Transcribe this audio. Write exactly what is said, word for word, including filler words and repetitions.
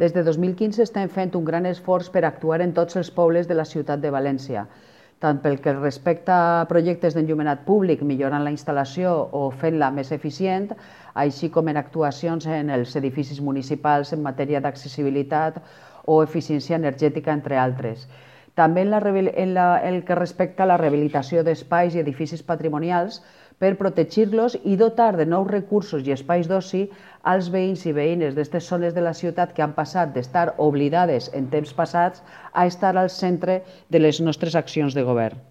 Des de dos mil quinze estem fent un gran esforç per actuar en tots els pobles de la ciutat de València, tant pel que respecta a projectes d'enllumenat públic, millorant la instal·lació o fent-la més eficient, així com en actuacions en els edificis municipals en matèria d'accessibilitat o eficiència energètica, entre altres. També en, la, en la, el que respecta a la rehabilitació d'espais i edificis patrimonials per protegir-los i dotar de nous recursos i espais d'oci als veïns i veïnes d'aquestes zones de la ciutat que han passat d'estar oblidades en temps passats a estar al centre de les nostres accions de govern.